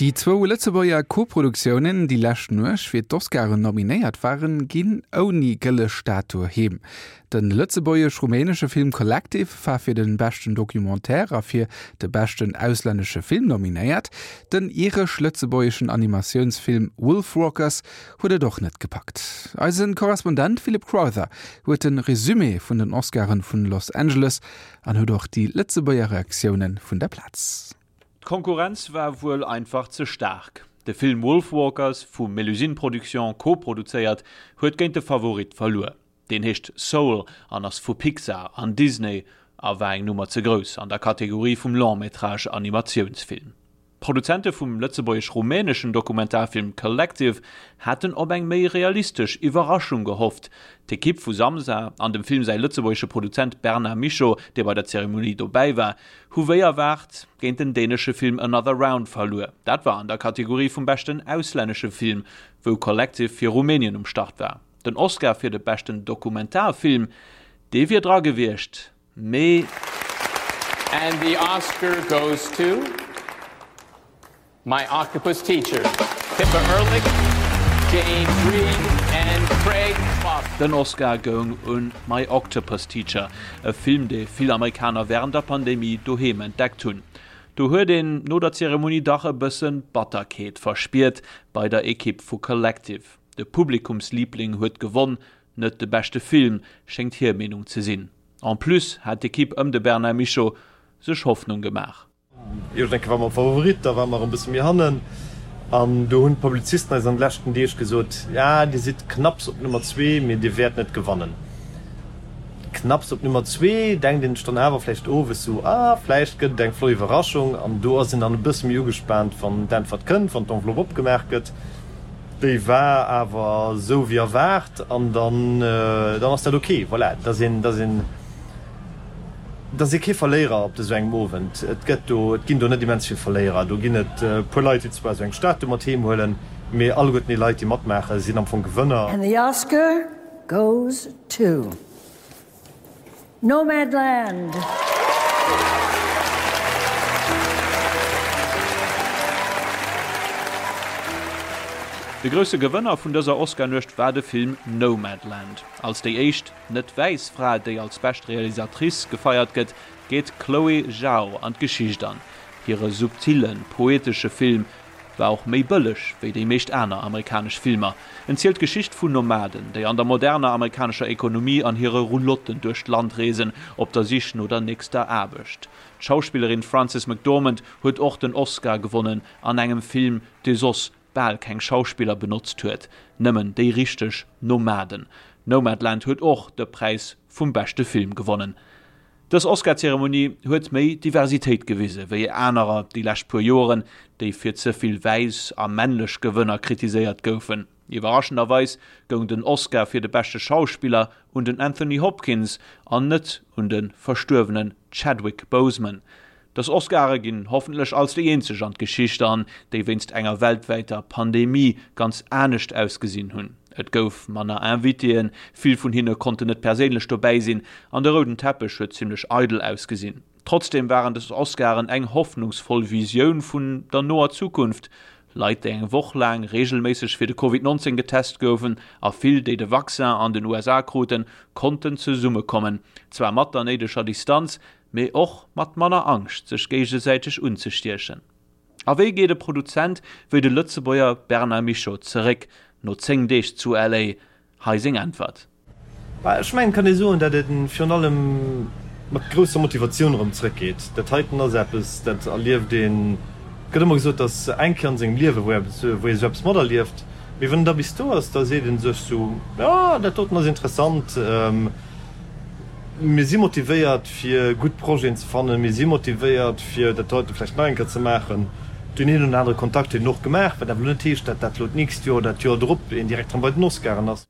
Déi zwou Lëtzebuerger Koproduktiounen, déi lescht Nuecht fir d'Oscaren nominéiert waren, ginn ouni gëlle Statue heem. De lëtzebuergesch-rumänesche Film Collective war fir de beschten Documentaire a fir de beschten auslännesche Film nominéiert. Den iresch-lëtzebuergeschen Animatiounsfilm Wolfwalkers huet et och net gepackt. Eise Korrespondent Philip Crowther huet de Resumé vun den Oscaren vun Los Angeles an huet och déi Lëtzebuerger Reaktioune vun der Plaz. D'Konkurrenz war wuel einfach ze staark. De Film Wolfwalkers, vu Melusine Productions koproduzéiert, huet géint de Favorit verluer. Deen heescht Soul an ass vu Pixar an Disney a war eng Nummer ze grouss an der Kategorie vum Long-Métrage Animatiounsfilm. D'Produzente vum lëtzebuergesch-rumäneschen Dokumentarfilm Collective haten op eng méi realistesch Iwwerraschung gehofft. D'Ekipp vu Samsa an dem Film säi lëtzebuergesche Produzent Bernard Michaux, dee bei der Zeremonie dobäi war, hu wéi erwaart géint den dänesche Film Another Round verluer. Dat war an der Kategorie vum beschten auslännesche Film, wou Collective fir Rumänien um Start war. Den Oscar fir de beschten Dokumentarfilm, dee wier dra gewiescht, mee. And the Oscar goes to My Octopus Teacher, Pippa Ehrlich, James Reed and Craig Foster. Den Oscar goung un My Octopus Teacher, e Film, dee vill Amerikaner wärend der Pandemie doheem entdeckt hunn. Do huet een no der Zeremonie dach e bëssen Batterkeet verspiert bei der Ekipp vu Collective. De Publikumsliibling huet gewonn, net de beschte Film, schéngt hir Meenung ze sinn. En plus hat d'Ekipp ëm de Bernard Michaux sech Hoffnung gemaach. Jo, ech denke war mer Favorit, da ware mer e bësse méi hannen an do hunn d'Publizisten eis an de leschten Deeg gesot, ja dir sidd knapps op Nummer zwee, mee dir wäert net gewannen. Knapps op Nummer zwee denkt een sech dann awer vläicht owes sou, ah vläicht gëtt et eng flott Iwwerraschung an do ass een dann e bësse méi ugespaant, wann d'Äntwert kënnt, wann d'Enveloppe opgemaach gëtt. Déi war awer esou wéi erwaart an dann, dann ass dat ok. Voilà, et ass een, et ass een, et ass ee kee Verléierer op esou engem Owend. Et gëtt do, et ginn do net immens vill Verléierer. Do ginn et e puer Leit, déi zwar esou eng Statue mat heem huelen, mee alleguerten déi Leit, déi matmaachen, sinn am Fong Gewënner. And the Oscar goes to. Nomadland. De grousse Gewënner vun dëser Oscar-Nuecht war de Film Nomadland. Als déi éischt net-wäiss Fra, déi als bescht Realisatrice gefeiert gëtt, geet d'Chloé Zhao an d'Geschicht an. Hire subtillen, poetesche Film War och méi bëlleg wéi déi meescht aner amerikanesch Filmer. En zielt d'Geschicht vun Nomaden, déi an der moderner amerikanescher Ekonomie an hire Roulotten duerch d'Land reesen, op der Sich no der nächster Aarbecht. D'Schauspillerin Frances McDormand huet och den Oscar gewonnen an engem Film, dee soss bal keng Schauspiller benotzt huet, nëmmen déi richteg Nomaden. Nomadland huet och de Präis vum beschte Film gewonnen. Dës Oscar-Zeremonie huet méi Diversitéit gewise wéi anerer déi lescht puer Joren, déi fir ze vill wäiss a männlech Gewënner kritiséiert goufen. Iwwerraschenderweis goung den Oscar fir de beschte Schauspiller un den Anthony Hopkins an net un de verstuerwenen Chadwick Boseman. Dës Oscare ginn hoffentlech als déi eenzeg an d'Geschicht an, déi wéinst enger weltwäiter Pandemie ganz anescht ausgesinn hunn. Et gouf manner Invitéen, vill vun hinne konnten net perséinlech dobäi sinn an de rouden Teppech huet zimmlech eidel ausgesinn. Trotzdeem waren dës Oscaren eng hoffnungsvoll Visioun vun der noer Zukunft. Leit, déi eng Woch laang reegelméisseg fir de Covid 19 getest goufen a vill, déi de Vaccin an den USA kruten, konnten zesummekommen, zwar mat der néideger Distanz, mee och mat manner Angscht sech géigesäiteg unzestiechen. A wéi geet e Produzent wéi de Lëtzebuerger Bernard Michaux zeréck no 10 Deeg zu LA? Hei seng Äntwert. Ech mengen, et kann ee soen, datt ee virun allem mat grousser Motivatioun erëm zeréckgeet. Dat heiten ass eppes, dat erlieft een, et gëtt ëmmer gesot, datt eng Kéier an sengem Liewe wou ee sou eppes materlieft, mee wann een da bis do ass, da seet ee sech sou, jo, dat doten ass interessant. Mir si motivéiert fir gutt Projeten ze fannen, mir si motivéiert fir dat heite vläicht nach eng Kéier ze maachen. Deen een oder anere Kontakt huet een och gemaach, wat awer elo net heescht, datt dat elo d'nächst Joer oder dat Joer drop een direkt erëm bei den Oscaren ass.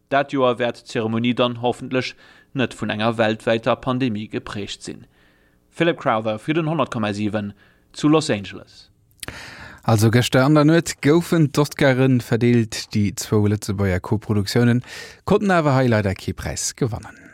Dat Joer wäert d'Zeremonie dann hoffentlech net vun enger weltwäiter Pandemie geprägt sinn. Philip Crowther fir den 100,7 zu Los Angeles. Also gëschter an der Nuet goufen d'Oscaren verdeelt. Déi zwou Lëtzebuerger Koproduktiounen konnten awer hei leider kee Präis gewannen.